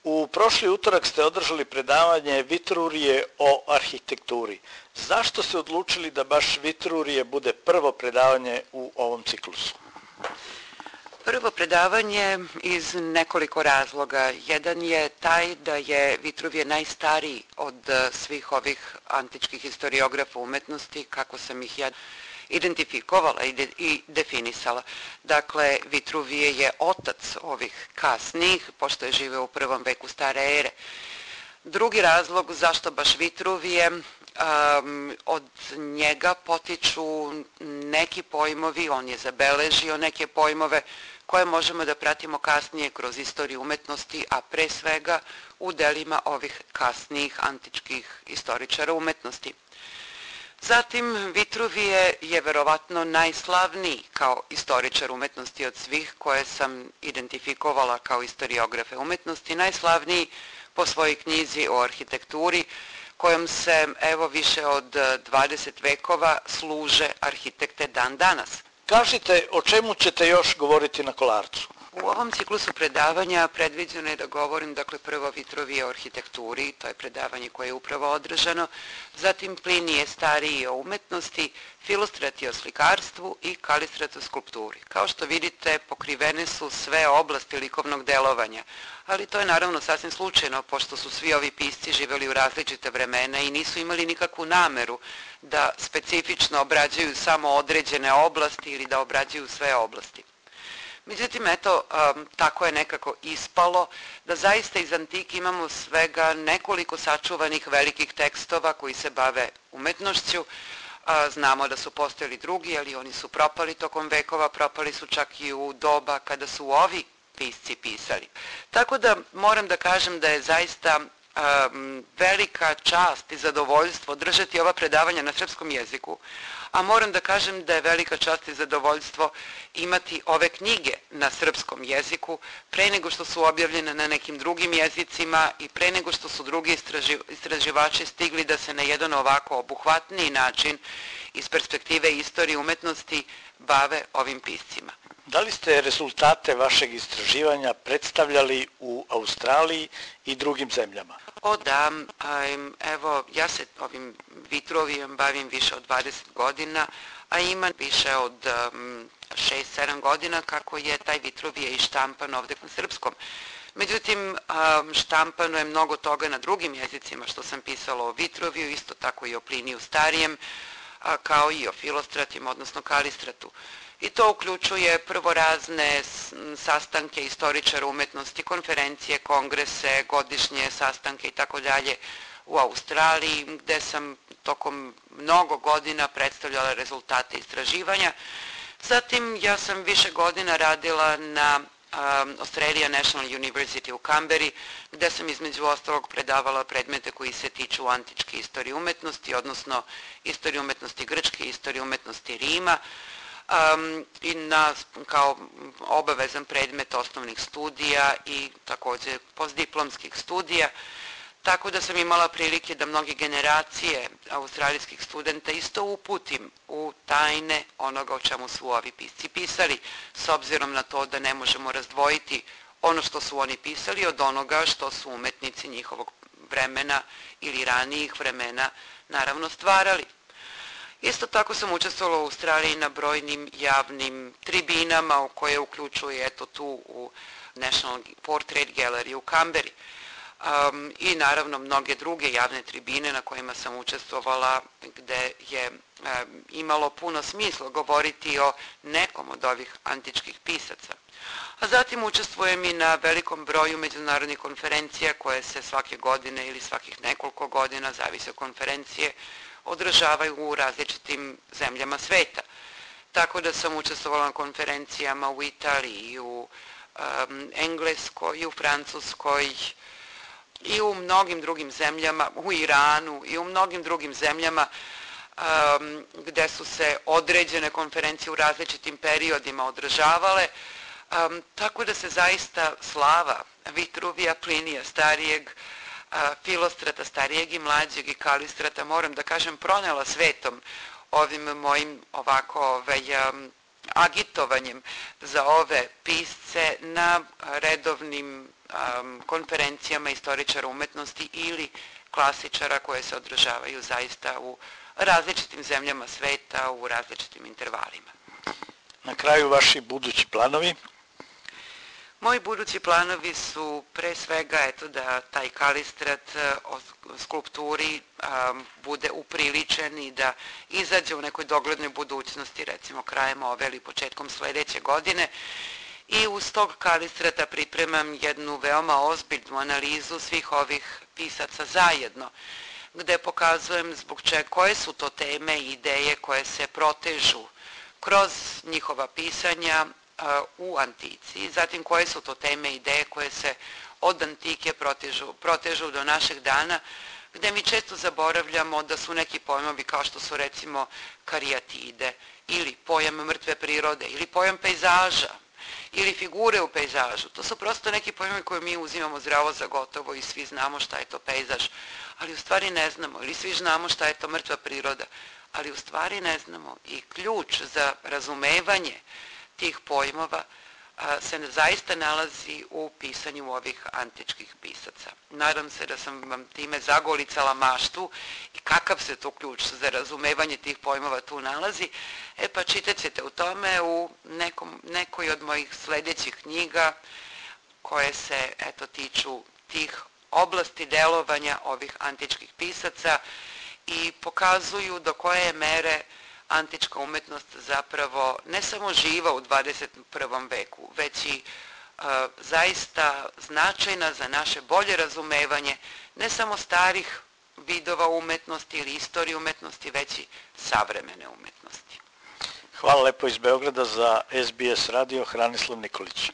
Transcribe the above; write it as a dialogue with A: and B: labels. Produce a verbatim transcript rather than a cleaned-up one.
A: U prošli utorak ste održali predavanje Vitruvije o arhitekturi. Zašto ste odlučili da baš Vitruvije bude prvo predavanje u ovom ciklusu?
B: Prvo predavanje iz nekoliko razloga. Jedan je taj da je Vitruvije najstariji od svih ovih antičkih historiografa umetnosti, kako sam ih ja identifikovala i, de, i definisala. Dakle, Vitruvije je otac ovih kasnijih, pošto je živeo u prvom veku stare ere. Drugi razlog zašto baš Vitruvije, um, od njega potiču neki pojmovi, on je zabeležio neke pojmove koje možemo da pratimo kasnije kroz istoriju umetnosti, a pre svega u delima ovih kasnijih antičkih istoričara umetnosti. Zatim, Vitruvije je verovatno najslavniji kao istoričar umetnosti od svih koje sam identifikovala kao istoriografe umetnosti, najslavniji po svojoj knjizi o arhitekturi, kojom se evo više od dvadeset vekova služe arhitekte dan danas.
A: Kažite, o čemu ćete još govoriti na Kolarcu?
B: U ovom ciklusu predavanja predviđeno je da govorim, dakle, prvo Vitruvije o arhitekturi, to je predavanje koje je upravo održano, zatim Plinije stariji o umetnosti, Filostrati o slikarstvu i Kalistrat o skulpturi. Kao što vidite, pokrivene su sve oblasti likovnog delovanja, ali to je naravno sasvim slučajno, pošto su svi ovi pisci živeli u različite vremena i nisu imali nikakvu nameru da specifično obrađuju samo određene oblasti ili da obrađuju sve oblasti. Međutim, eto, um, tako je nekako ispalo da zaista iz antike imamo svega nekoliko sačuvanih velikih tekstova koji se bave umetnošću. A, znamo da su postojali drugi, ali oni su propali tokom vekova, propali su čak i u doba kada su ovi pisci pisali. Tako da moram da kažem da je zaista um, velika čast i zadovoljstvo držati ova predavanja na srpskom jeziku, a moram da kažem da je velika čast i zadovoljstvo imati ove knjige na srpskom jeziku pre nego što su objavljene na nekim drugim jezicima i pre nego što su drugi istraži, istraživači stigli da se na jedan ovako obuhvatniji način iz perspektive istorije umetnosti bave ovim piscima.
A: Da li ste rezultate vašeg istraživanja predstavljali u Australiji i drugim zemljama?
B: O da, evo, ja se ovim Vitruvijem bavim više od dvadeset godina, a ima više od šest sedam godina kako je taj Vitruvije i štampan ovde na srpskom. Međutim, štampano je mnogo toga na drugim jezicima što sam pisala o Vitruviju, isto tako i o Pliniju starijem, kao i o Filostratima, odnosno Kalistratu. I to uključuje prvo razne sastanke istoričara umetnosti, konferencije, kongrese, godišnje sastanke i tako dalje u Australiji, gde sam tokom mnogo godina predstavljala rezultate istraživanja. Zatim ja sam više godina radila na um, Australia National University u Kamberi, gde sam između ostalog predavala predmete koji se tiču antičke istorije umetnosti, odnosno istorije umetnosti Grčke, istorije umetnosti Rima, Um, i na, kao obavezan predmet osnovnih studija i također postdiplomskih studija, tako da sam imala prilike da mnoge generacije australijskih studenta isto uputim u tajne onoga o čemu su ovi pisci pisali, s obzirom na to da ne možemo razdvojiti ono što su oni pisali od onoga što su umetnici njihovog vremena ili ranijih vremena naravno stvarali. Isto tako sam učestvovala u Australiji na brojnim javnim tribinama u koje uključuje eto tu u National Portrait Gallery u Kamberi um, i naravno mnoge druge javne tribine na kojima sam učestvovala gde je um, imalo puno smisla govoriti o nekom od ovih antičkih pisaca. A zatim učestvujem i na velikom broju međunarodnih konferencija koje se svake godine ili svakih nekoliko godina, zavise od konferencije, održavaju u različitim zemljama sveta. Tako da sam učestvovala na konferencijama u Italiji, u um, Engleskoj, i u Francuskoj, i u mnogim drugim zemljama, u Iranu i u mnogim drugim zemljama um, gde su se određene konferencije u različitim periodima održavale. Um, tako da se zaista slava Vitruvija, Plinija starijeg, Filostrata starijeg i mlađeg i Kalistrata, moram da kažem, pronela svetom ovim mojim ovako ovaj, agitovanjem za ove pisce na redovnim konferencijama istoričara umetnosti ili klasičara koje se održavaju zaista u različitim zemljama sveta, u različitim intervalima.
A: Na kraju vaši budući planovi?
B: Moji budući planovi su pre svega eto, da taj kalistrat o skulpturi um, bude upriličen i da izađe u nekoj doglednoj budućnosti, recimo krajem ove ili početkom sledeće godine. I uz tog kalistrata pripremam jednu veoma ozbiljnu analizu svih ovih pisaca zajedno, gde pokazujem zbog čega, koje su to teme i ideje koje se protežu kroz njihova pisanja u antici, zatim koje su to teme i ideje koje se od antike protežu, protežu do našeg dana, gde mi često zaboravljamo da su neki pojmovi kao što su recimo karijatide ili pojam mrtve prirode ili pojam pejzaža ili figure u pejzažu. To su prosto neki pojmovi koje mi uzimamo zdravo za gotovo i svi znamo šta je to pejzaž, ali u stvari ne znamo, ili svi znamo šta je to mrtva priroda, ali u stvari ne znamo. I ključ za razumevanje tih pojmova se zaista nalazi u pisanju ovih antičkih pisaca. Nadam se da sam vam time zagolicala maštu i kakav se to ključ za razumevanje tih pojmova tu nalazi. E pa čitat ćete u tome u nekom, nekoj od mojih sledećih knjiga koje se eto tiču tih oblasti delovanja ovih antičkih pisaca i pokazuju do koje mere antička umetnost zapravo ne samo živa u dvadeset prvom veku, već i e, zaista značajna za naše bolje razumevanje ne samo starih vidova umetnosti ili istorije umetnosti, već i savremene umetnosti.
A: Hvala lepo iz Beograda za S B S radio, Hranislav Nikolić.